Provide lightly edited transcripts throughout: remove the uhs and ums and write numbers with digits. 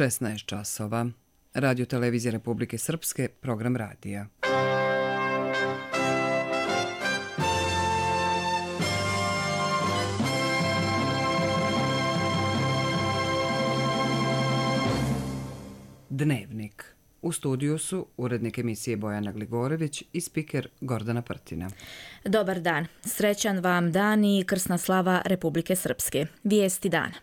16 časova. Radio Televizije Republike Srpske, program radija. Dnevnik. U studiju su urednik emisije Bojana Gligorević i spiker Gordana Prtina. Dobar dan. Srećan vam dan i krsna slava Republike Srpske. Vijesti dana.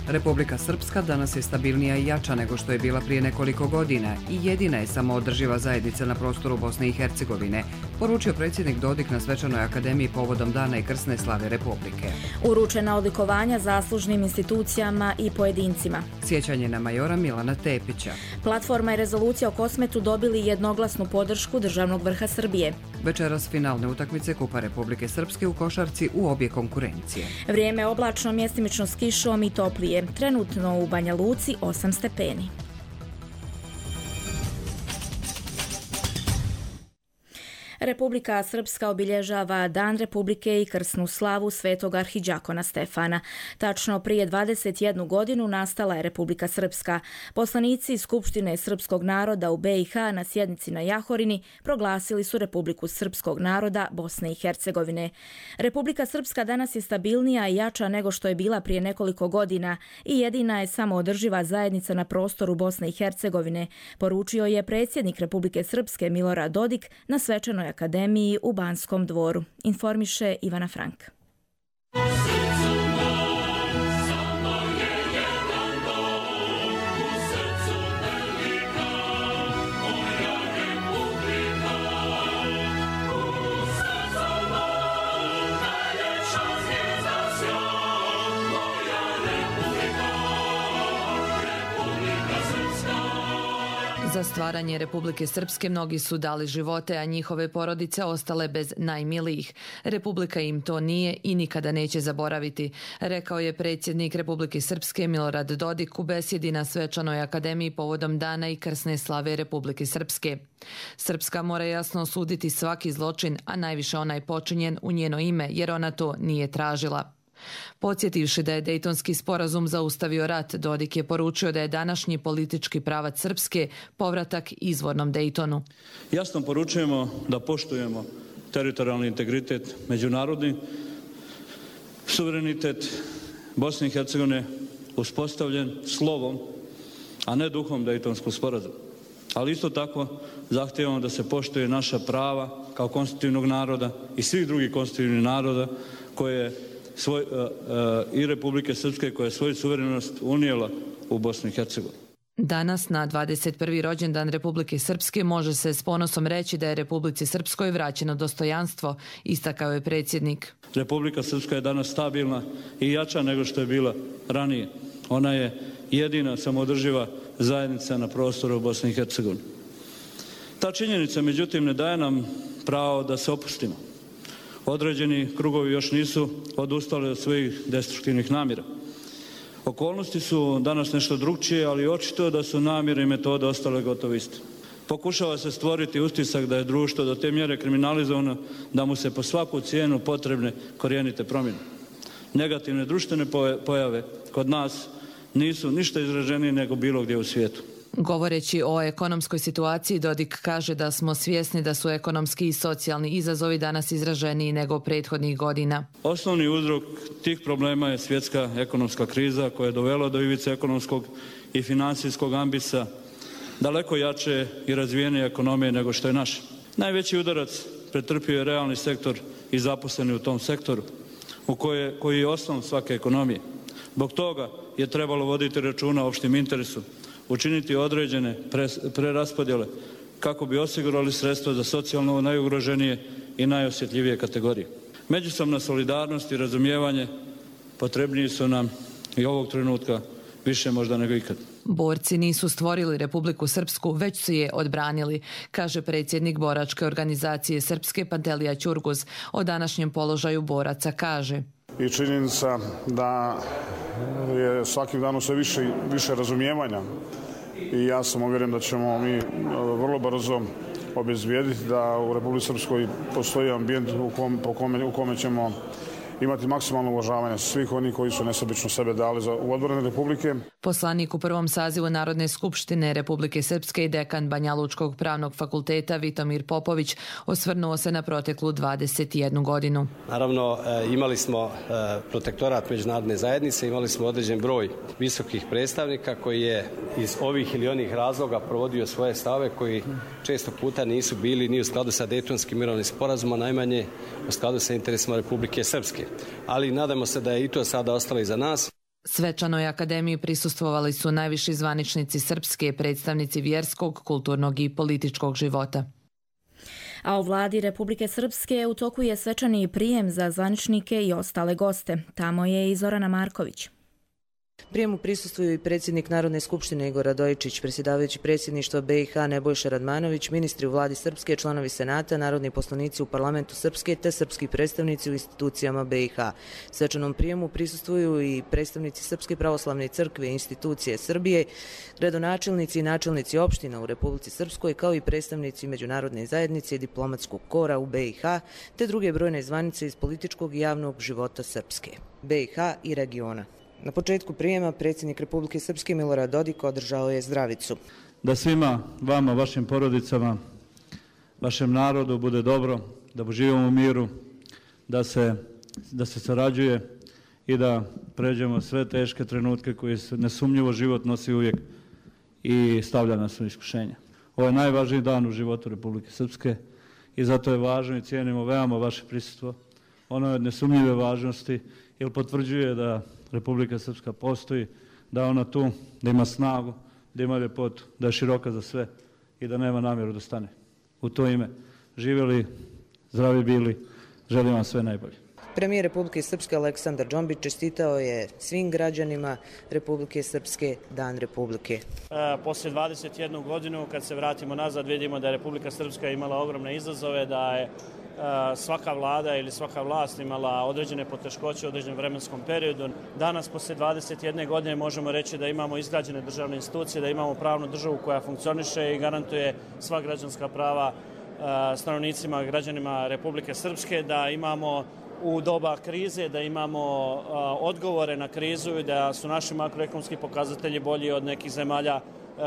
Republika Srpska danas je stabilnija i jača nego što je bila prije nekoliko godina i jedina je samoodrživa zajednica na prostoru Bosne i Hercegovine, poručio predsjednik Dodik na Svečanoj akademiji povodom Dana i krsne slave Republike. Uručena odlikovanja zaslužnim institucijama i pojedincima. Sjećanje na majora Milana Tepića. Platforma i rezolucija o Kosmetu dobili jednoglasnu podršku državnog vrha Srbije. Večeras finalne utakmice Kupa Republike Srpske u košarci u obje konkurencije. Vrijeme oblačno, mjestimično s kišom i toplije. Trenutno u Banja Luci 8 stepeni. Republika Srpska obilježava Dan Republike i krsnu slavu Svetog arhidžakona Stefana. Tačno prije 21 godinu nastala je Republika Srpska. Poslanici Skupštine srpskog naroda u BiH na sjednici na Jahorini proglasili su Republiku srpskog naroda Bosne i Hercegovine. Republika Srpska danas je stabilnija i jača nego što je bila prije nekoliko godina i jedina je samoodrživa zajednica na prostoru Bosne i Hercegovine, poručio je predsjednik Republike Srpske Milorad Dodik na Svečanoj akademiji u Banskom dvoru. Informiše Ivana Frank. Za stvaranje Republike Srpske mnogi su dali živote, a njihove porodice ostale bez najmilijih. Republika im to nije i nikada neće zaboraviti, rekao je predsjednik Republike Srpske Milorad Dodik u besjedi na Svečanoj akademiji povodom Dana i krsne slave Republike Srpske. Srpska mora jasno osuditi svaki zločin, a najviše onaj počinjen u njeno ime, jer ona to nije tražila. Podsjetivši da je Dejtonski sporazum zaustavio rat, Dodik je poručio da je današnji politički pravac Srpske povratak izvornom Dejtonu. Jasno poručujemo da poštujemo teritorijalni integritet, međunarodni suverenitet Bosne i Hercegovine uspostavljen slovom, a ne duhom Dejtonskog sporazuma. Ali isto tako zahtijevamo da se poštuje naša prava kao konstitutivnog naroda i svih drugih konstitutivnih naroda koje i Republike Srpske koja je svoju suverenost unijela u Bosnu i Hercegovinu. Danas, na 21. rođendan Republike Srpske, može se s ponosom reći da je Republici Srpskoj vraćeno dostojanstvo, istakao je predsjednik. Republika Srpska je danas stabilna i jača nego što je bila ranije. Ona je jedina samoodrživa zajednica na prostoru Bosne i Hercegovine. Ta činjenica, međutim, ne daje nam pravo da se opustimo. Određeni krugovi još nisu odustali od svojih destruktivnih namjera. Okolnosti su danas nešto drugčije, ali očito da su namjere i metode ostale gotovo iste. Pokušava se stvoriti utisak da je društvo do te mjere kriminalizovano da mu se po svaku cijenu potrebne korijenite promjene. Negativne društvene pojave kod nas nisu ništa izraženije nego bilo gdje u svijetu. Govoreći o ekonomskoj situaciji, Dodik kaže da smo svjesni da su ekonomski i socijalni izazovi danas izraženiji nego prethodnih godina. Osnovni uzrok tih problema je svjetska ekonomska kriza koja je dovela do ivice ekonomskog i financijskog ambisa daleko jače i razvijenije ekonomije nego što je naša. Najveći udarac pretrpio je realni sektor i zaposleni u tom sektoru, koji je osnov svake ekonomije. Zbog toga je trebalo voditi računa o opštem interesu, učiniti određene preraspodjele kako bi osigurali sredstva za socijalno najugroženije i najosjetljivije kategorije. Međusobna solidarnost i razumijevanje potrebniji su nam i ovog trenutka više možda nego ikad. Borci nisu stvorili Republiku Srpsku, već su je odbranili, kaže predsjednik boračke organizacije Srpske Pantelija Ćurguz. O današnjem položaju boraca kaže: I činjenica da je svakim danom sve više razumijevanja i ja sam uvjeren da ćemo mi vrlo brzo obezbijediti da u Republici Srpskoj postoji ambijent u kome ćemo imati maksimalno uvažavanje svih onih koji su nesebično sebe dali u odbranu Republike. Poslanik u prvom sazivu Narodne skupštine Republike Srpske i dekan Banjalučkog pravnog fakulteta Vitomir Popović osvrnuo se na proteklu 21 godinu. Naravno, imali smo protektorat međunarodne zajednice, imali smo određen broj visokih predstavnika koji je iz ovih ili onih razloga provodio svoje stave koji često puta nisu bili ni u skladu sa Dejtonskim mirovnim sporazumom, najmanje u skladu sa interesima Republike Srpske. Ali nadamo se da je i to sada ostalo iza nas. Svečanoj akademiji prisustvovali su najviši zvaničnici Srpske, predstavnici vjerskog, kulturnog i političkog života. A u vladi Republike Srpske u toku je svečani prijem za zvaničnike i ostale goste. Tamo je i Zorana Marković. Prijemu prisustvuju i predsjednik Narodne skupštine Igor Radojičić, predsjedavajući predsjedništva BiH Nebojša Radmanović, ministri u vladi Srpske, članovi Senata, narodni poslanici u parlamentu Srpske te srpski predstavnici u institucijama BiH. Svečanom prijemu prisustvuju i predstavnici Srpske pravoslavne crkve i institucije Srbije, gradonačelnici i načelnici opština u Republici Srpskoj, kao i predstavnici međunarodne zajednice i diplomatskog kora u BiH, te druge brojne zvanice iz političkog i javnog života Srpske, BiH i regiona. Na početku prijema predsjednik Republike Srpske Milorad Dodik održao je zdravicu. Da svima vama, vašim porodicama, vašem narodu bude dobro, da živimo u miru, da se sarađuje i da pređemo sve teške trenutke koje nesumnjivo život nosi uvijek i stavlja nas u iskušenja. Ovo je najvažniji dan u životu Republike Srpske i zato je važno i cijenimo veoma vaše prisustvo. Ono je od nesumnjive važnosti jer potvrđuje da Republika Srpska postoji, da je ona tu, da ima snagu, da ima ljepotu, da je široka za sve i da nema namjeru da stane. U to ime živjeli, zdravi bili, želim vam sve najbolje. Premijer Republike Srpske Aleksandar Džombić čestitao je svim građanima Republike Srpske Dan Republike. Poslije 21 godinu, kad se vratimo nazad, vidimo da je Republika Srpska imala ogromne izazove, da je svaka vlada ili svaka vlast imala određene poteškoće u određenom vremenskom periodu. Danas, poslije 21 godine, možemo reći da imamo izgrađene državne institucije, da imamo pravnu državu koja funkcioniše i garantuje sva građanska prava stanovnicima, građanima Republike Srpske, da imamo u doba krize, da imamo odgovore na krizu i da su naši makroekonomski pokazatelji bolji od nekih zemalja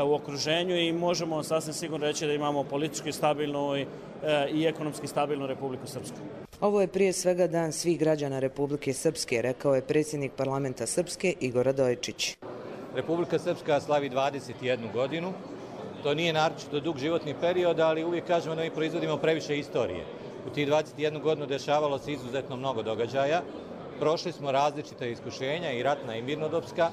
u okruženju i možemo sasvim sigurno reći da imamo politički stabilnu i ekonomski stabilnu Republiku Srpsku. Ovo je prije svega dan svih građana Republike Srpske, rekao je predsjednik parlamenta Srpske Igor Radojičić. Republika Srpska slavi 21 godinu. To nije naročito dug životni period, ali uvijek kažemo da mi proizvodimo previše istorije. U tih 21 godinu dešavalo se izuzetno mnogo događaja. Prošli smo različita iskušenja, i ratna i mirnodopska.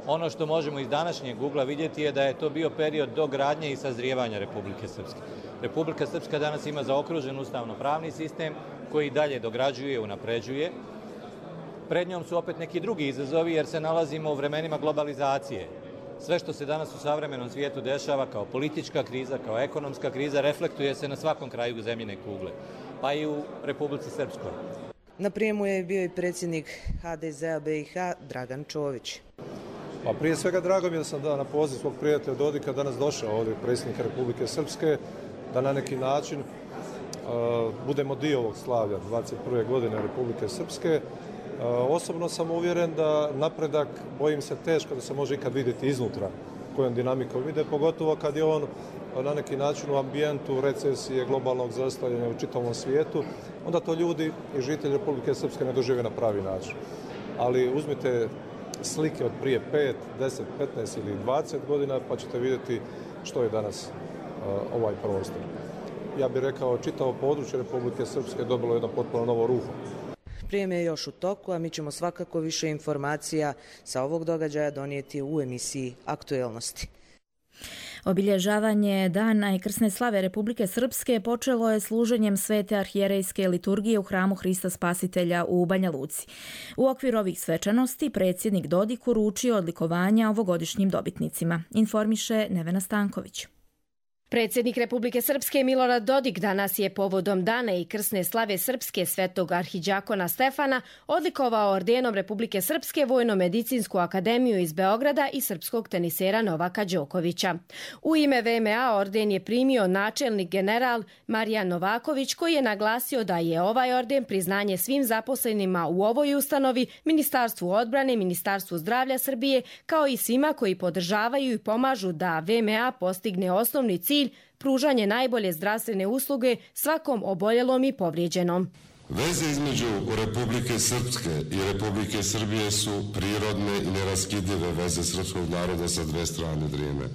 Ono što možemo iz današnjeg ugla vidjeti je da je to bio period dogradnje i sazrijevanja Republike Srpske. Republika Srpska danas ima zaokružen ustavno-pravni sistem koji dalje dograđuje i unapređuje. Pred njom su opet neki drugi izazovi jer se nalazimo u vremenima globalizacije. Sve što se danas u savremenom svijetu dešava kao politička kriza, kao ekonomska kriza, reflektuje se na svakom kraju zemljine kugle, pa i u Republici Srpskoj. Na prijemu je bio i predsjednik HDZ-a BiH Dragan Čović. Pa prije svega drago mi je da sam na poziv svog prijatelja Dodika danas došao ovdje predsjednika Republike Srpske, da na neki način budemo dio ovog slavlja 21. godine Republike Srpske. Osobno sam uvjeren da napredak, bojim se, teško da se može ikad vidjeti iznutra kojom dinamikom ide, pogotovo kad je on na neki način u ambijentu recesije, globalnog zaostajanja u čitavom svijetu, onda to ljudi i žitelji Republike Srpske ne dožive na pravi način. Ali uzmite slike od prije 5, 10, 15 ili 20 godina pa ćete vidjeti što je danas ovaj prostor. Ja bih rekao, čitavo područje Republike Srpske dobilo jedno potpuno novo ruho. Prijem je još u toku, a mi ćemo svakako više informacija sa ovog događaja donijeti u emisiji Aktuelnosti. Obilježavanje Dana i krsne slave Republike Srpske počelo je služenjem svete arhijerejske liturgije u hramu Hrista Spasitelja u Banja Luci. U okviru ovih svečanosti predsjednik Dodik uručio odlikovanja ovogodišnjim dobitnicima, informiše Nevena Stanković. Predsjednik Republike Srpske Milorad Dodik danas je povodom dana i krsne slave Srpske svetog arhidžakona Stefana odlikovao ordenom Republike Srpske Vojno-medicinsku akademiju iz Beograda i srpskog tenisera Novaka Đokovića. U ime VMA orden je primio načelnik general Marijan Novaković, koji je naglasio da je ovaj orden priznanje svim zaposlenima u ovoj ustanovi, Ministarstvu odbrane, Ministarstvu zdravlja Srbije, kao i svima koji podržavaju i pomažu da VMA postigne osnovni cilj, pružanje najbolje zdravstvene usluge svakom oboljelom i povrijeđenom. Veze između Republike Srpske i Republike Srbije su prirodne i neraskidive veze srpskog naroda sa dve strane Drine.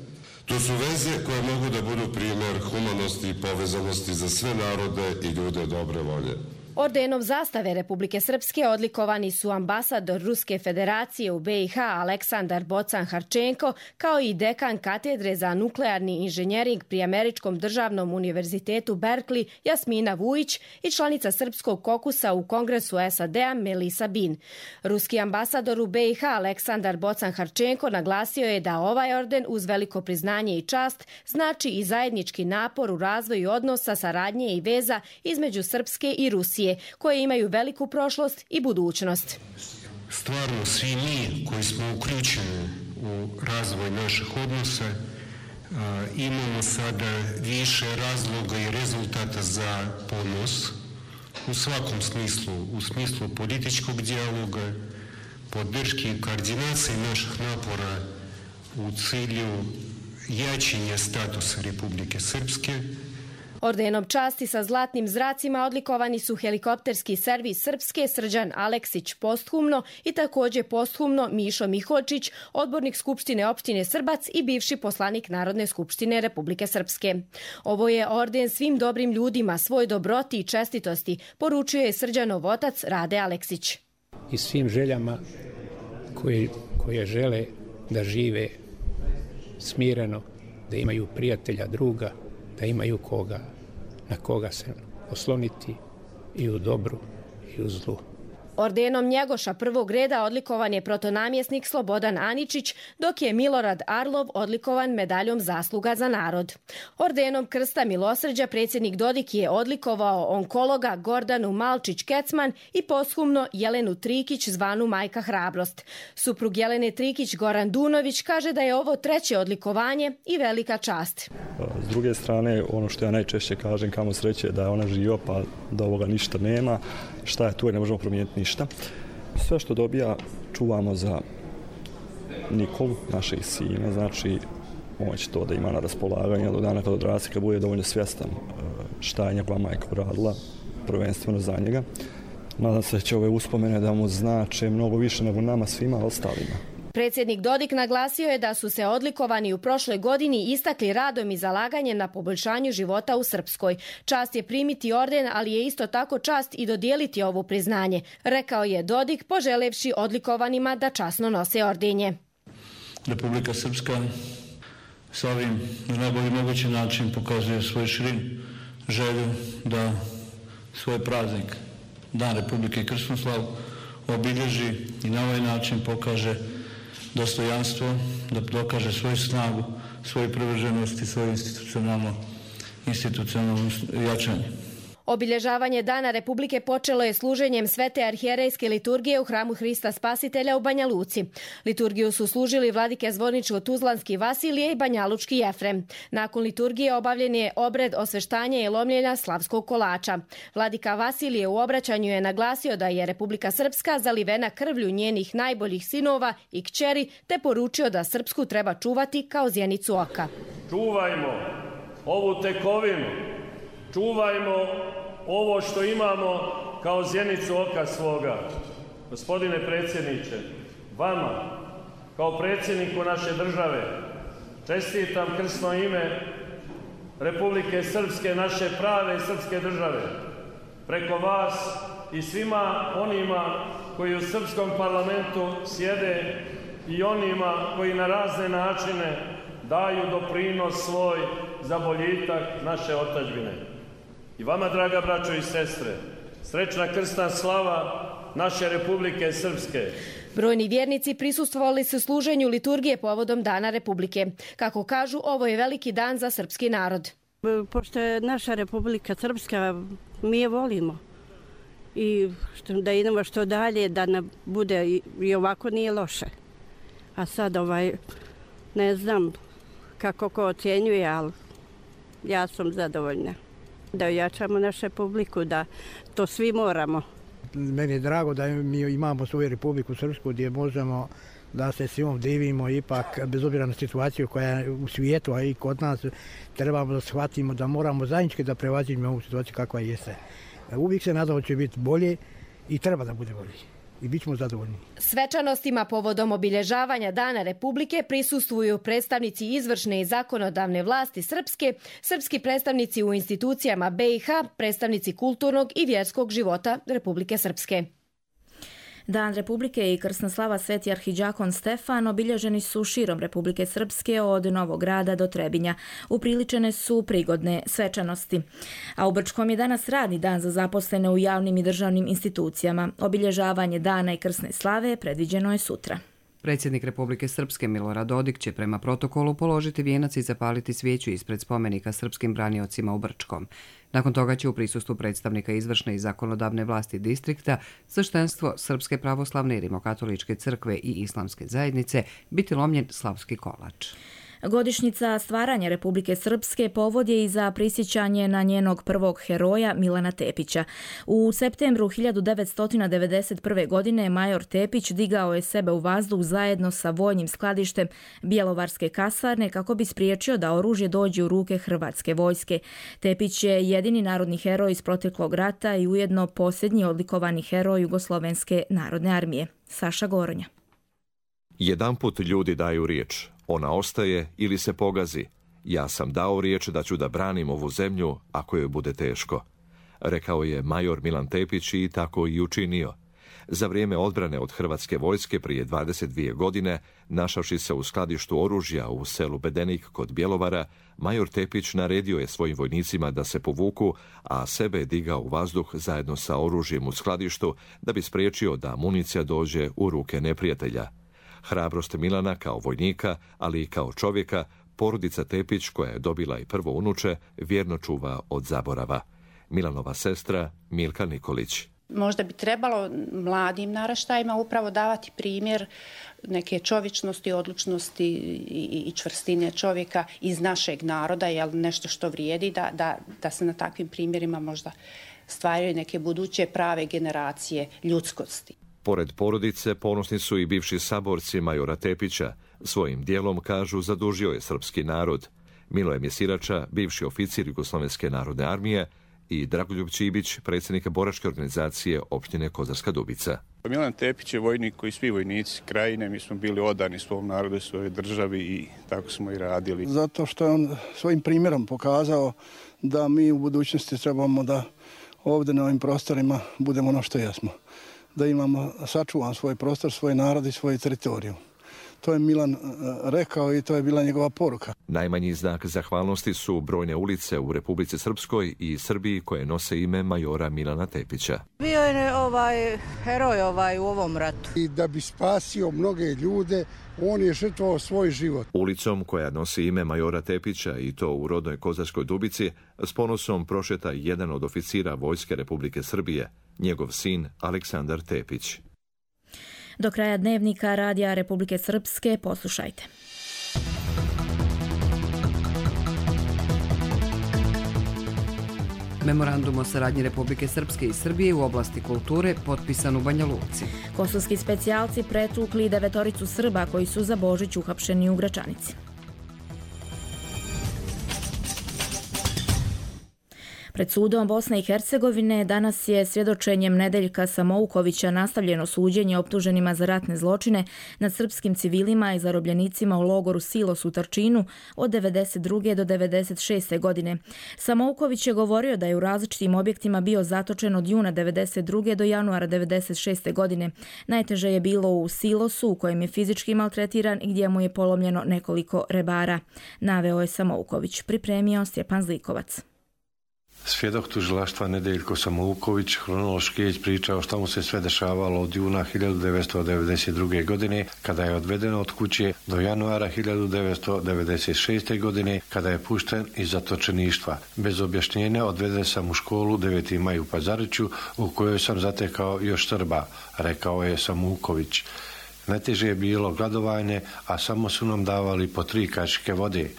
To su veze koje mogu da budu primjer humanosti i povezanosti za sve narode i ljude dobre volje. Ordenom zastave Republike Srpske odlikovani su ambasador Ruske federacije u BiH Aleksandar Bocan-Harčenko, kao i dekan katedre za nuklearni inženjering pri Američkom državnom univerzitetu Berkeley Jasmina Vujić i članica Srpskog kokusa u Kongresu SAD-a Melisa Bin. Ruski ambasador u BiH Aleksandar Bocan-Harčenko naglasio je da ovaj orden uz veliko priznanje i čast znači i zajednički napor u razvoju odnosa, saradnje i veza između Srpske i Rusije, koje imaju veliku prošlost i budućnost. Stvarno, svi mi koji smo uključeni u razvoj naših odnosa imamo sada više razloga i rezultata za ponos u svakom smislu, u smislu političkog dijaloga, podrške i koordinacije naših napora u cilju jačanja statusa Republike Srpske. Ordenom časti sa zlatnim zracima odlikovani su helikopterski servis Srpske Srđan Aleksić posthumno i također posthumno Mišo Mihočić, odbornik Skupštine opštine Srbac i bivši poslanik Narodne skupštine Republike Srpske. Ovo je orden svim dobrim ljudima, svoj dobroti i čestitosti, poručuje je Srđanov otac Rade Aleksić. I svim željama koje žele da žive smireno, da imaju prijatelja, druga, da imaju na koga se osloniti i u dobru i u zlu. Ordenom Njegoša prvog reda odlikovan je protonamjesnik Slobodan Aničić, dok je Milorad Arlov odlikovan medaljom Zasluga za narod. Ordenom Krsta milosrđa predsjednik Dodik je odlikovao onkologa Gordanu Malčić-Kecman i posthumno Jelenu Trikić zvanu Majka Hrabrost. Suprug Jelene Trikić Goran Dunović kaže da je ovo treće odlikovanje i velika čast. S druge strane, ono što ja najčešće kažem, kamo sreće da je ona živa pa da ovoga ništa nema. Šta je tu i ne možemo promijeniti ništa. Sve što dobija čuvamo za Nikolu, našeg sina, znači on će to da ima na raspolaganju do dana kad odraste, kad bude dovoljno svjestan šta je njegova majka uradila, prvenstveno za njega. Nadam se da će ove uspomene da mu znače mnogo više nego nama svima ostalima. Predsjednik Dodik naglasio je da su se odlikovani u prošloj godini istakli radom i zalaganjem na poboljšanju života u Srpskoj. Čast je primiti orden, ali je isto tako čast i dodijeliti ovo priznanje, rekao je Dodik, poželevši odlikovanima da časno nose ordenje. Republika Srpska sa ovim na najbolji mogući način pokazuje svoj širin želju da svoj praznik, Dan Republike i krsnu slavu, obilježi i na ovaj način pokaže dostojanstvo, da dokaže svoju snagu, svoju privrženost i svoje institucionalno jačanje. Obilježavanje Dana Republike počelo je služenjem Svete arhijerejske liturgije u hramu Hrista Spasitelja u Banja Luci. Liturgiju su služili vladike Zvorničko-Tuzlanski Vasilije i Banjalučki Jefrem. Nakon liturgije obavljen je obred osveštanja i lomljenja slavskog kolača. Vladika Vasilije u obraćanju je naglasio da je Republika Srpska zalivena krvlju njenih najboljih sinova i kćeri, te poručio da Srpsku treba čuvati kao zjenicu oka. Čuvajmo ovu tekovinu, čuvajmo ovo što imamo kao zjenicu oka svoga. Gospodine predsjedniče, vama, kao predsjedniku naše države, čestitam krsno ime Republike Srpske, naše prave srpske države. Preko vas i svima onima koji u srpskom parlamentu sjede i onima koji na razne načine daju doprinos svoj za boljitak naše otadžbine. I vama, draga braćo i sestre, srećna krsna slava naše Republike Srpske. Brojni vjernici prisustvovali su služenju liturgije povodom Dana Republike. Kako kažu, ovo je veliki dan za srpski narod. Pošto je naša Republika Srpska, mi je volimo. I da idemo što dalje, da ne bude i ovako nije loše. A sad ne znam kako ko ocjenjuje, ali ja sam zadovoljna. Da ojačamo našu Republiku, da to svi moramo. Meni je drago da mi imamo svoju Republiku Srpsku gdje možemo da se svim divimo, ipak bez obzira na situaciju koja je u svijetu, a i kod nas, trebamo da shvatimo da moramo zajednički da prevaziđemo ovu situaciju kakva jeste. Uvijek se nadamo da će biti bolje i treba da bude bolje. I bit ćemo zadovoljni. Svečanostima povodom obilježavanja Dana Republike prisustvuju predstavnici izvršne i zakonodavne vlasti Srpske, srpski predstavnici u institucijama BiH, predstavnici kulturnog i vjerskog života Republike Srpske. Dan Republike i krsna slava Sveti arhidžakon Stefan obilježeni su širom Republike Srpske od Novog Rada do Trebinja. Upriličene su prigodne svečanosti. A u Brčkom je danas radni dan za zaposlene u javnim i državnim institucijama. Obilježavanje dana i krsne slave predviđeno je sutra. Predsjednik Republike Srpske Milorad Dodik će prema protokolu položiti vijenac i zapaliti svijeću ispred spomenika srpskim braniocima u Brčkom. Nakon toga će u prisustvu predstavnika izvršne i zakonodavne vlasti distrikta, sveštenstvo Srpske pravoslavne i rimokatoličke crkve i islamske zajednice biti lomljen slavski kolač. Godišnjica stvaranja Republike Srpske povod je i za prisjećanje na njenog prvog heroja Milana Tepića. U septembru 1991. godine major Tepić digao je sebe u vazduh zajedno sa vojnim skladištem Bjelovarske kasarne kako bi spriječio da oružje dođe u ruke hrvatske vojske. Tepić je jedini narodni heroj iz proteklog rata i ujedno posljednji odlikovani heroj Jugoslovenske narodne armije. Saša Goronja. Jedanput ljudi daju riječ. Ona ostaje ili se pogazi. Ja sam dao riječ da ću da branim ovu zemlju ako joj bude teško. Rekao je major Milan Tepić i tako i učinio. Za vrijeme odbrane od hrvatske vojske prije 22 godine, našavši se u skladištu oružja u selu Bedenik kod Bjelovara, major Tepić naredio je svojim vojnicima da se povuku, a sebe je digao u vazduh zajedno sa oružjem u skladištu da bi spriječio da municija dođe u ruke neprijatelja. Hrabrost Milana kao vojnika, ali i kao čovjeka, porodica Tepić, koja je dobila i prvo unuče, vjerno čuva od zaborava. Milanova sestra Milka Nikolić. Možda bi trebalo mladim naraštajima upravo davati primjer neke čovječnosti, odlučnosti i čvrstine čovjeka iz našeg naroda, jer nešto što vrijedi da se na takvim primjerima možda stvaraju neke buduće prave generacije ljudskosti. Pored porodice ponosni su i bivši saborci majora Tepića. Svojim dijelom, kažu, zadužio je srpski narod. Miloje Mjesirača, bivši oficir Jugoslovenske narodne armije, i Dragoljub Čibić, predsjednik boračke organizacije opštine Kozarska Dubica. Milan Tepić je vojnik koji svi vojnici krajine, mi smo bili odani svom narodu, svojoj državi i tako smo i radili. Zato što je on svojim primjerom pokazao da mi u budućnosti trebamo da ovdje na ovim prostorima budemo ono što jesmo. Da imamo sačuvan svoj prostor, svoj narod i svoju teritoriju. To je Milan rekao i to je bila njegova poruka. Najmanji znak zahvalnosti su brojne ulice u Republici Srpskoj i Srbiji koje nose ime majora Milana Tepića. Bio je heroj u ovom ratu. I da bi spasio mnoge ljude, on je žrtvovao svoj život. Ulicom koja nosi ime majora Tepića i to u rodnoj Kozarskoj Dubici s ponosom prošeta jedan od oficira Vojske Republike Srbije, njegov sin Aleksandar Tepić. Do kraja dnevnika Radija Republike Srpske poslušajte. Memorandum o saradnji Republike Srpske i Srbije u oblasti kulture potpisan u Banja Luci. Kosovski specijalci pretukli 9 Srba koji su za Božić uhapšeni u Gračanici. Pred sudom Bosne i Hercegovine danas je svjedočenjem Nedeljka Samoukovića nastavljeno suđenje optuženima za ratne zločine nad srpskim civilima i zarobljenicima u logoru Silos u Tarčinu od 1992. do 1996. godine. Samouković je govorio da je u različitim objektima bio zatočen od juna 1992. do januara 1996. godine. Najteže je bilo u Silosu u kojem je fizički maltretiran i gdje mu je polomljeno nekoliko rebara. Naveo je Samouković. Pripremio Stjepan Zlikovac. Svjedok tužilaštva Nedeljko Samouković hronološki je pričao što mu se sve dešavalo od juna 1992. godine kada je odveden od kuće do januara 1996. godine kada je pušten iz zatočeništva. Bez objašnjenja odveden sam u školu 9. maj u Pazariću u kojoj sam zatekao još Srba, rekao je Samouković. Najteže je bilo gladovanje, a samo su nam davali po 3 kašike vode.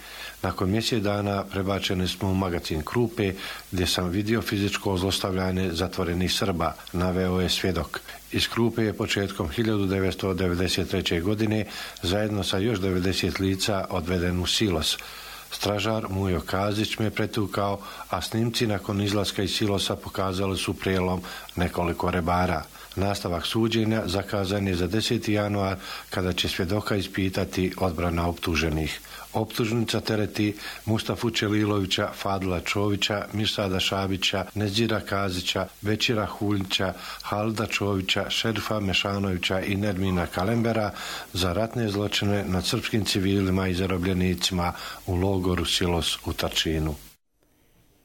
Nakon mjesec dana prebačeni smo u magazin Krupe, gdje sam vidio fizičko zlostavljanje zatvorenih Srba, naveo je svjedok. Iz Krupe je početkom 1993. godine zajedno sa još 90 lica odveden u Silos. Stražar Mujo Kazić me pretukao, a snimci nakon izlaska iz Silosa pokazali su prijelom nekoliko rebara. Nastavak suđenja zakazan je za 10. januar kada će svjedoka ispitati odbrana optuženih. Optužnica tereti Mustafu Čelilovića, Fadila Čovića, Mirsada Šabića, Nezira Kazića, Većira Huljića, Halida Čovića, Šerifa Mešanovića i Nermina Kalembera za ratne zločine nad srpskim civilima i zarobljenicima u logoru Silos u Tarčinu.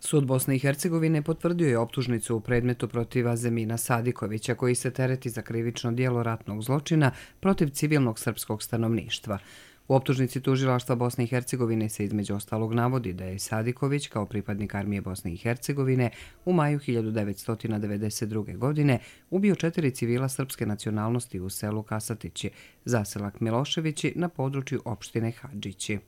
Sud Bosne i Hercegovine potvrdio je optužnicu u predmetu protiv Azemina Sadikovića koji se tereti za krivično djelo ratnog zločina protiv civilnog srpskog stanovništva. U optužnici tužilaštva Bosne i Hercegovine se između ostalog navodi da je Sadiković kao pripadnik armije Bosne i Hercegovine u maju 1992. godine ubio 4 civila srpske nacionalnosti u selu Kasatići, zaselak Miloševići na području opštine Hadžići.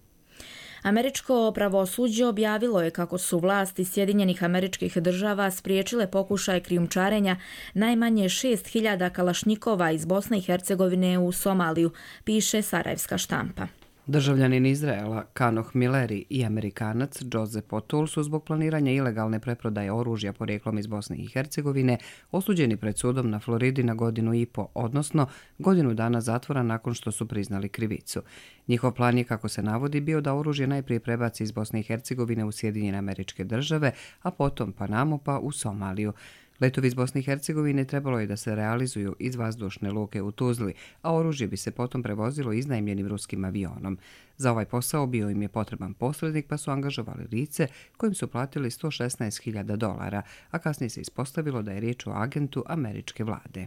Američko pravosuđe objavilo je kako su vlasti Sjedinjenih Američkih Država spriječile pokušaj krijumčarenja najmanje 6.000 kalašnjikova iz Bosne i Hercegovine u Somaliju, piše sarajevska štampa. Državljanin Izraela Kanoh Mileri i Amerikanac Joseph O'Toole su zbog planiranja ilegalne preprodaje oružja porijeklom iz Bosne i Hercegovine osuđeni pred sudom na Floridi na 1,5 godine, odnosno 1 godinu dana zatvora nakon što su priznali krivicu. Njihov plan je, kako se navodi, bio da oružje najprije prebaci iz Bosne i Hercegovine u Sjedinjene Američke Države, a potom Panamu pa u Somaliju. Letovi iz Bosne i Hercegovine trebalo je da se realizuju iz vazdušne luke u Tuzli, a oružje bi se potom prevozilo iznajmljenim ruskim avionom. Za ovaj posao bio im je potreban posrednik, pa su angažovali lice kojim su platili $116.000, a kasnije se ispostavilo da je riječ o agentu američke vlade.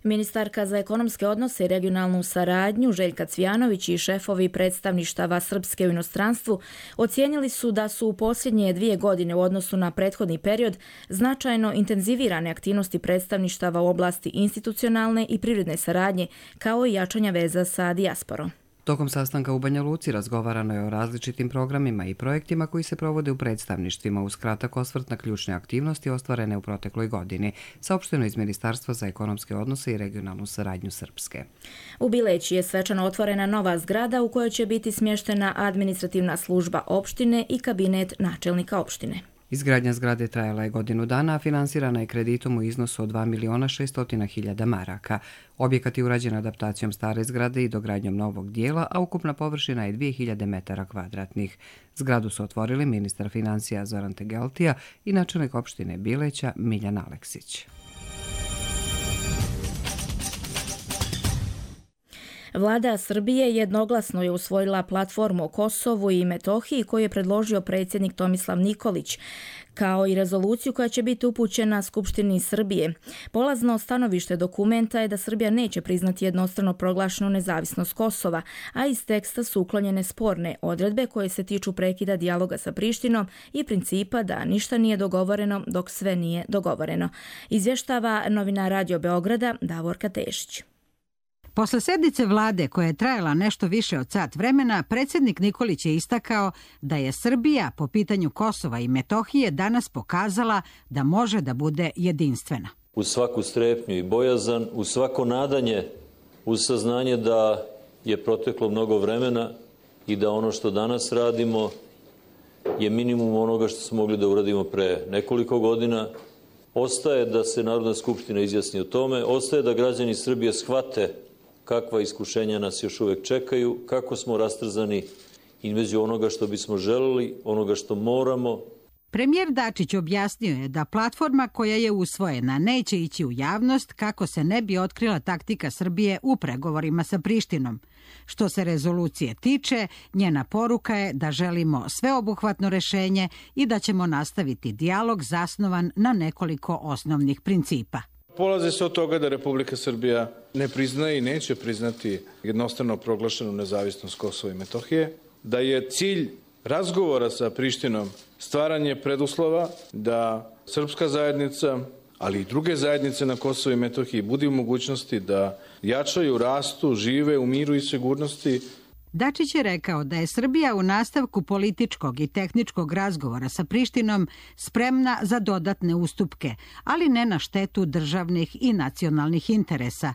Ministarka za ekonomske odnose i regionalnu saradnju Željka Cvijanović i šefovi predstavništava Srpske u inostranstvu ocijenili su da su u posljednje 2 godine u odnosu na prethodni period značajno intenzivirane aktivnosti predstavništava u oblasti institucionalne i privredne saradnje, kao i jačanja veza sa dijasporom. Tokom sastanka u Banja Luci razgovarano je o različitim programima i projektima koji se provode u predstavništvima uz kratak osvrt na ključne aktivnosti ostvarene u protekloj godini, saopšteno iz Ministarstva za ekonomske odnose i regionalnu saradnju Srpske. U Bileći je svečano otvorena nova zgrada u kojoj će biti smještena administrativna služba opštine i kabinet načelnika opštine. Izgradnja zgrade trajala je 1 godinu dana, a finansirana je kreditom u iznosu od 2.600.000 maraka. Objekat je urađen adaptacijom stare zgrade i dogradnjom novog dijela, a ukupna površina je 2000 metara kvadratnih. Zgradu su otvorili ministar financija Zoran Tegeltija i načelnik opštine Bileća Miljan Aleksić. Vlada Srbije jednoglasno je usvojila platformu o Kosovu i Metohiji koju je predložio predsjednik Tomislav Nikolić, kao i rezoluciju koja će biti upućena Skupštini Srbije. Polazno stanovište dokumenta je da Srbija neće priznati jednostrano proglašenu nezavisnost Kosova, a iz teksta su uklonjene sporne odredbe koje se tiču prekida dijaloga sa Prištinom i principa da ništa nije dogovoreno dok sve nije dogovoreno. Izvještava novinar Radio Beograda Davorka Tešić. Posle sednice vlade koja je trajala nešto više od sat vremena, predsjednik Nikolić je istakao da je Srbija po pitanju Kosova i Metohije danas pokazala da može da bude jedinstvena. Uz svaku strepnju i bojazan, uz svako nadanje, uz saznanje da je proteklo mnogo vremena i da ono što danas radimo je minimum onoga što smo mogli da uradimo pre nekoliko godina, ostaje da se Narodna skupština izjasni o tome, ostaje da građani Srbije shvate kakva iskušenja nas još uvijek čekaju, kako smo rastrzani između onoga što bismo želeli, onoga što moramo. Premijer Dačić objasnio je da platforma koja je usvojena neće ići u javnost kako se ne bi otkrila taktika Srbije u pregovorima sa Prištinom. Što se rezolucije tiče, njena poruka je da želimo sveobuhvatno rešenje i da ćemo nastaviti dijalog zasnovan na nekoliko osnovnih principa. Polazi se od toga da Republika Srbija ne priznaje i neće priznati jednostrano proglašenu nezavisnost Kosova i Metohije, da je cilj razgovora sa Prištinom stvaranje preduslova da srpska zajednica, ali i druge zajednice na Kosovu i Metohiji budu u mogućnosti da jačaju, rastu, žive u miru i sigurnosti. Dačić je rekao da je Srbija u nastavku političkog i tehničkog razgovora sa Prištinom spremna za dodatne ustupke, ali ne na štetu državnih i nacionalnih interesa.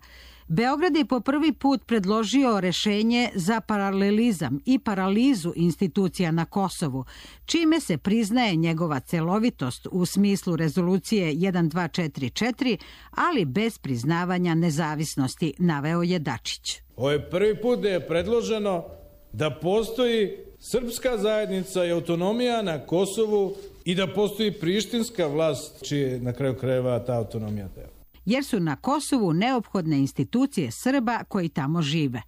Beograd je po prvi put predložio rešenje za paralelizam i paralizu institucija na Kosovu, čime se priznaje njegova celovitost u smislu rezolucije 1244, ali bez priznavanja nezavisnosti, naveo je Dačić. Ovo je prvi put da je predloženo da postoji srpska zajednica i autonomija na Kosovu i da postoji prištinska vlast, čije na kraju krajeva ta autonomija treba. Jer su na Kosovu neophodne institucije Srba koji tamo žive.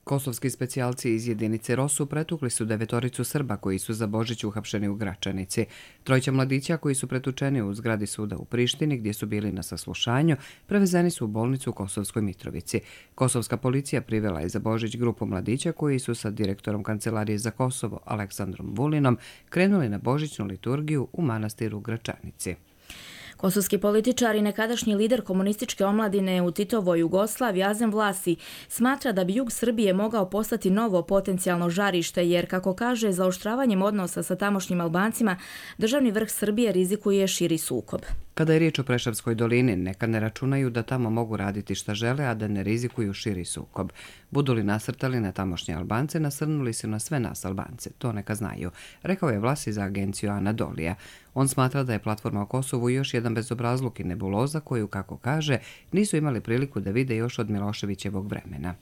Kosovski specijalci iz jedinice Rosu pretukli su 9 Srba koji su za Božić uhapšeni u Gračanici. 3 mladića koji su pretučeni u zgradi suda u Prištini gdje su bili na saslušanju prevezeni su u bolnicu u Kosovskoj Mitrovici. Kosovska policija privela je za Božić grupu mladića koji su sa direktorom Kancelarije za Kosovo Aleksandrom Vulinom krenuli na božićnu liturgiju u manastiru u Gračanici. Kosovski političar i nekadašnji lider komunističke omladine u Titovoj Jugoslaviji Azem Vlasi smatra da bi jug Srbije mogao postati novo potencijalno žarište jer, kako kaže, zaoštravanjem odnosa sa tamošnjim Albancima državni vrh Srbije rizikuje širi sukob. Kada je riječ o Preševskoj dolini, neka ne računaju da tamo mogu raditi šta žele, a da ne rizikuju širi sukob. Budu li nasrtali na tamošnje Albance, nasrnuli su na sve nas Albance. To neka znaju, rekao je Vlasi za agenciju Anadolija. On smatra da je platforma o Kosovu još jedan bezobrazluk i nebuloza koju, kako kaže, nisu imali priliku da vide još od Miloševićevog vremena.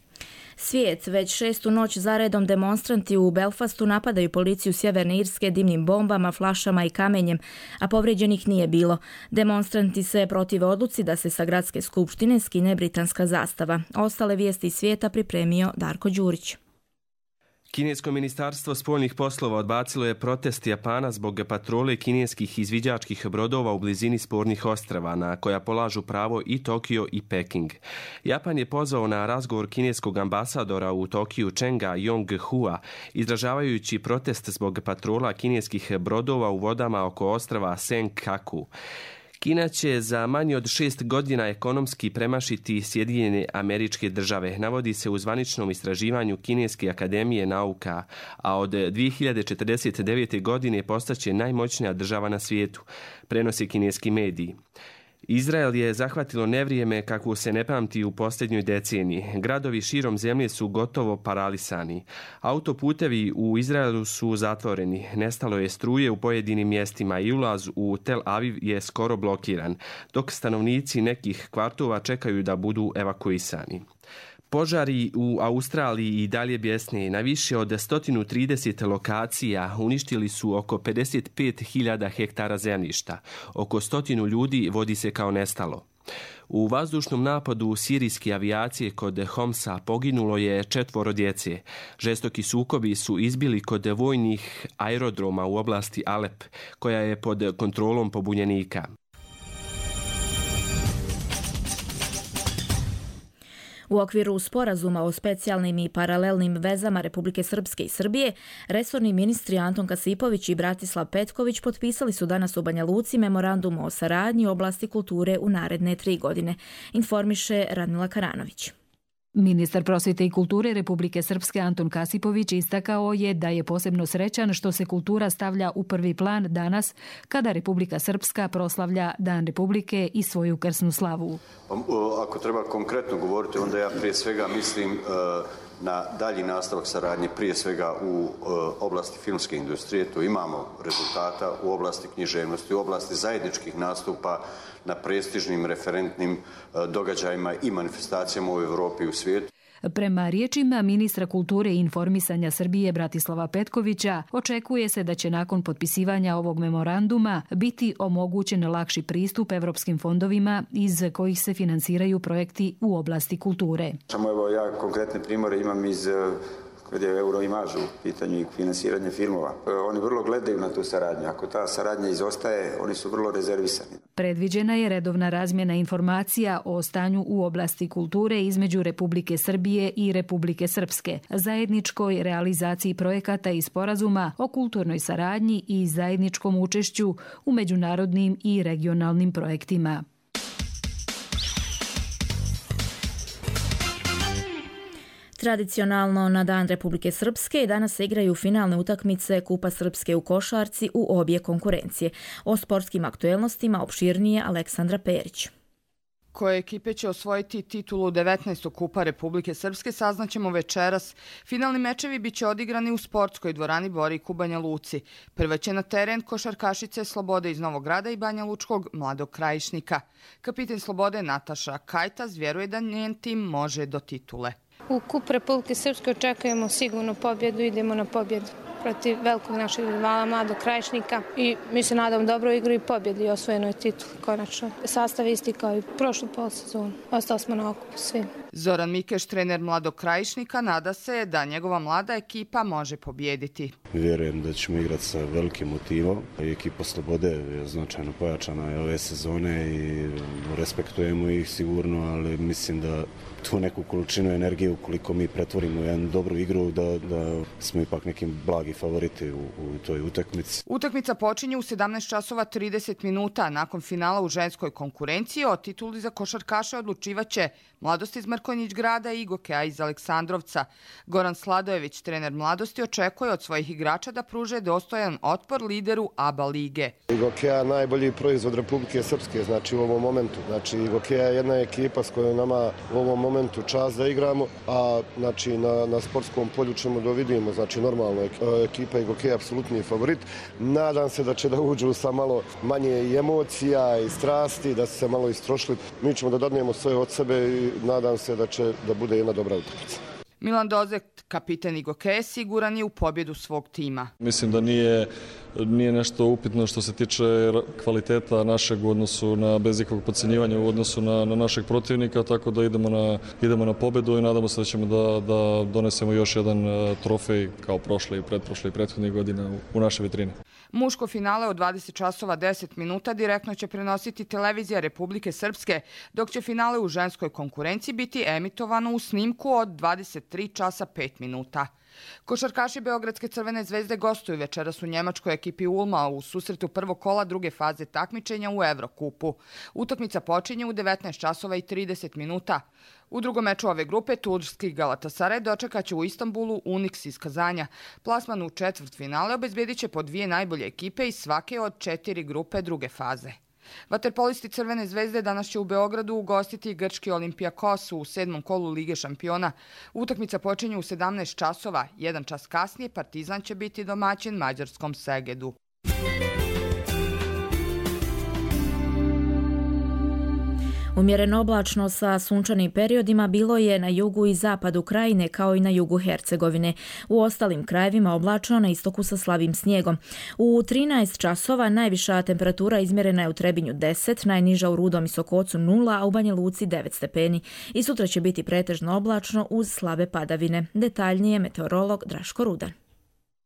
Svijet, već 6. noć zaredom demonstranti u Belfastu napadaju policiju Sjeverne Irske dimnim bombama, flašama i kamenjem, a povrijeđenih nije bilo. Demonstranti se protive odluci da se sa gradske skupštine skine britanska zastava. Ostale vijesti iz svijeta pripremio Darko Đurić. Kinesko ministarstvo spoljnih poslova odbacilo je protest Japana zbog patrole kineskih izviđačkih brodova u blizini spornih ostrava na koja polažu pravo i Tokio i Peking. Japan je pozvao na razgovor kineskog ambasadora u Tokiju Chenga Yonghua, izražavajući protest zbog patrola kineskih brodova u vodama oko ostrava Senkaku. Kina će za manje od 6 godina ekonomski premašiti Sjedinjene Američke Države, navodi se u zvaničnom istraživanju Kineske akademije nauka, a od 2049. godine postaće najmoćnija država na svijetu, prenose kineski mediji. Izrael je zahvatilo nevrijeme kakvu se ne pamti u posljednjoj deceniji. Gradovi širom zemlje su gotovo paralisani. Autoputevi u Izraelu su zatvoreni. Nestalo je struje u pojedinim mjestima i ulaz u Tel Aviv je skoro blokiran, dok stanovnici nekih kvartova čekaju da budu evakuisani. Požari u Australiji i dalje bjesne. Na više od 130 lokacija uništili su oko 55.000 hektara zemljišta. Oko 100 ljudi vodi se kao nestalo. U vazdušnom napadu sirijske avijacije kod Homsa poginulo je 4 djece. Žestoki sukobi su izbili kod vojnih aerodroma u oblasti Alep, koja je pod kontrolom pobunjenika. U okviru sporazuma o specijalnim i paralelnim vezama Republike Srpske i Srbije, resorni ministri Anton Kasipović i Bratislav Petković potpisali su danas u Banja Luci memorandum o saradnji u oblasti kulture u naredne 3 godine, informiše Radmila Karanović. Ministar prosvjete i kulture Republike Srpske Anton Kasipović istakao je da je posebno srećan što se kultura stavlja u prvi plan danas kada Republika Srpska proslavlja Dan Republike i svoju krsnu slavu. Ako treba konkretno govoriti, onda ja prije svega mislim na dalji nastavak saradnje, prije svega u oblasti filmske industrije. Tu imamo rezultata u oblasti književnosti, u oblasti zajedničkih nastupa na prestižnim referentnim događajima i manifestacijama u Europi i u svijetu. Prema riječima ministra kulture i informisanja Srbije Bratislava Petkovića, očekuje se da će nakon potpisivanja ovog memoranduma biti omogućen lakši pristup evropskim fondovima iz kojih se finansiraju projekti u oblasti kulture. Samo evo ja konkretne primjere imam iz kad je Euroimaž u pitanju i finansiranje filmova. Oni vrlo gledaju na tu saradnju. Ako ta saradnja izostaje, oni su vrlo rezervisani. Predviđena je redovna razmjena informacija o stanju u oblasti kulture između Republike Srbije i Republike Srpske, zajedničkoj realizaciji projekata i sporazuma o kulturnoj saradnji i zajedničkom učešću u međunarodnim i regionalnim projektima. Tradicionalno na Dan Republike Srpske danas se igraju finalne utakmice Kupa Srpske u košarci u obje konkurencije. O sportskim aktuelnostima opširnije Aleksandra Perić. Koje ekipe će osvojiti titulu 19. Kupa Republike Srpske saznaćemo večeras. Finalni mečevi biće odigrani u sportskoj dvorani Borik u Banja Luci. Prva će na teren košarkašice Slobode iz Novog Grada i Banja Lučkog Mladog Krajišnika. Kapiten Slobode Nataša Kajtas vjeruje da njen tim može do titule. U Kupu Republike Srpske očekujemo sigurno pobjedu, idemo na pobjedu protiv velikog našeg rivala Mladog Krajišnika i mi se nadamo dobro igru i pobjedi i osvojenoj tituli konačno. Sastav isti kao i prošlu polsezonu. Ostali smo na okupu svim. Zoran Mikeš, trener Mladog Krajišnika, nada se da njegova mlada ekipa može pobjediti. Vjerujem da ćemo igrati sa velikim motivom. Ekipa Slobode je značajno pojačana ove sezone i respektujemo ih sigurno, ali mislim da tu neku količinu energije ukoliko mi pretvorimo jednu dobru igru da smo ipak nekim blagi favoriti u toj utakmici. Utakmica počinje u 17:30 minuta. Nakon finala u ženskoj konkurenciji o tituli za košarkaše odlučivaće Mladost iz Mrkonjić Grada i Gokeja iz Aleksandrovca. Goran Sladojević, trener Mladosti, očekuje od svojih igrača da pruže dostojan otpor lideru ABA lige. Gokeja najbolji proizvod Republike Srpske, znači u ovom momentu. Znači Gokeja je jedna ekipa s kojom nama u ovom momentu čast da igramo, a znači na sportskom polju ćemo da vidimo, znači normalno ekipa i Gokeja apsolutni favorit. Nadam se da će da uđu sa malo manje i emocija i strasti, da su se malo istrošili. Mi ćemo da dadnemo sve od sebe i nadam se da će da bude jedna dobra utakmica. Milan Dozek, kapiten Igokeje, siguran je u pobjedu svog tima. Mislim da nije nešto upitno što se tiče kvaliteta našeg u odnosu na, bez ikakvog podcjenjivanja u odnosu na našeg protivnika, tako da idemo na pobjedu i nadamo se da ćemo da donesemo još jedan trofej kao prošle i pretprošle i prethodnih godina u naše vitrine. Muško finale od 20:10 direktno će prenositi televizija Republike Srpske, dok će finale u ženskoj konkurenciji biti emitovano u snimku od 23:05. Košarkaši Beogradske Crvene zvezde gostuju večeras u njemačkoj ekipi Ulma u susretu prvog kola druge faze takmičenja u Evrokupu. Utakmica počinje u 19:30. U drugom meču ove grupe turski Galatasaray dočekaće u Istanbulu Unix iz Kazanja. Plasman u četvrtfinale obezbedit će po 2 najbolje ekipe iz svake od 4 grupe druge faze. Vaterpolisti Crvene zvezde danas će u Beogradu ugostiti grčki Olympiakos u 7. kolu Lige šampiona. Utakmica počinje u 17:00. 1 čas kasnije Partizan će biti domaćin mađarskom Segedu. Umjereno oblačno sa sunčanim periodima bilo je na jugu i zapadu krajine kao i na jugu Hercegovine. U ostalim krajevima oblačno, na istoku sa slabim snijegom. U 13 časova najviša temperatura izmjerena je u Trebinju 10, najniža u Rudom i Sokocu 0, a u Banja Luci 9 stepeni. I sutra će biti pretežno oblačno uz slabe padavine. Detaljnije meteorolog Draško Rudan.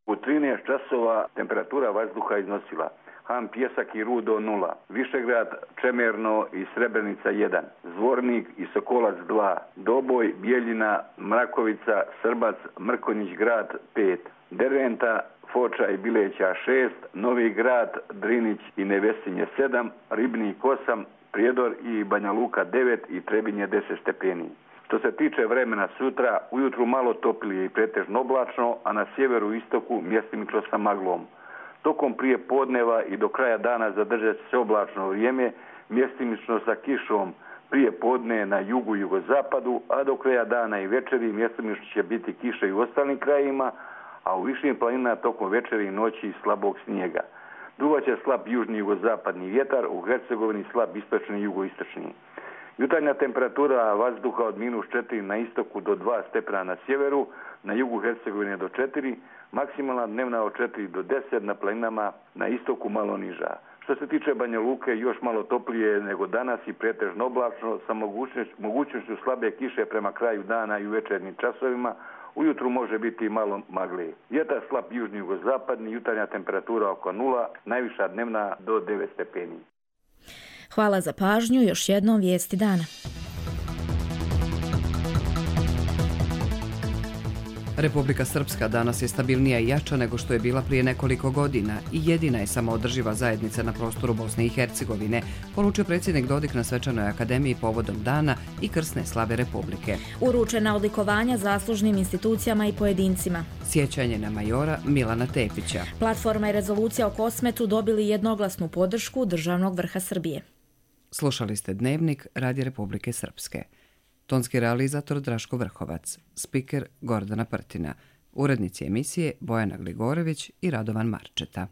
U 13 časova temperatura vazduha iznosila Han Pjesak i Rudo 0, Višegrad, Čemerno i Srebrenica 1, Zvornik i Sokolac 2, Doboj, Bijeljina, Mrakovica, Srbac, Mrkonjić Grad 5, Derventa, Foča i Bileća 6, Novi Grad, Drinić i Nevesinje 7, Ribnik 8, Prijedor i Banja Luka 9 i Trebinje 10 stepeni. Što se tiče vremena sutra, ujutru malo toplije i pretežno oblačno, a na sjeveru i istoku mjestimično sa maglom. Tokom prije podneva i do kraja dana zadržat će se oblačno vrijeme, mjestimično sa kišom prije podne na jugu i jugozapadu, a do kraja dana i večeri mjestimično će biti kiša i u ostalim krajima, a u višim planinama tokom večeri i noći slabog snijega. Duvaće slab južni jugozapadni vjetar, u Hercegovini slab istočni i jugoistočni. Jutarnja temperatura vazduha od -4 na istoku do 2 stepena na sjeveru, na jugu Hercegovine do 4, maksimalna dnevna od 4 do 10, na planinama na istoku malo niža. Što se tiče Banja Luke, još malo toplije nego danas i pretežno oblačno, sa mogućnošću slabe kiše prema kraju dana i u večernjim časovima. Ujutru može biti malo magle. Vjetar slab južni jugozapadni, jutarnja temperatura oko 0, najviša dnevna do 9 stepeni. Hvala za pažnju, još jednom vijesti dana. Republika Srpska danas je stabilnija i jača nego što je bila prije nekoliko godina i jedina je samoodrživa zajednica na prostoru Bosne i Hercegovine, poručio predsjednik Dodik na Svečanoj akademiji povodom dana i krsne slave Republike. Uručena odlikovanja zaslužnim institucijama i pojedincima. Sjećanje na majora Milana Tepića. Platforma i rezolucija o Kosmetu dobili jednoglasnu podršku državnog vrha Srbije. Slušali ste Dnevnik Radija Republike Srpske. Tonski realizator Draško Vrhovac, spiker Gordana Prtina, urednici emisije Bojana Gligorević i Radovan Marčeta.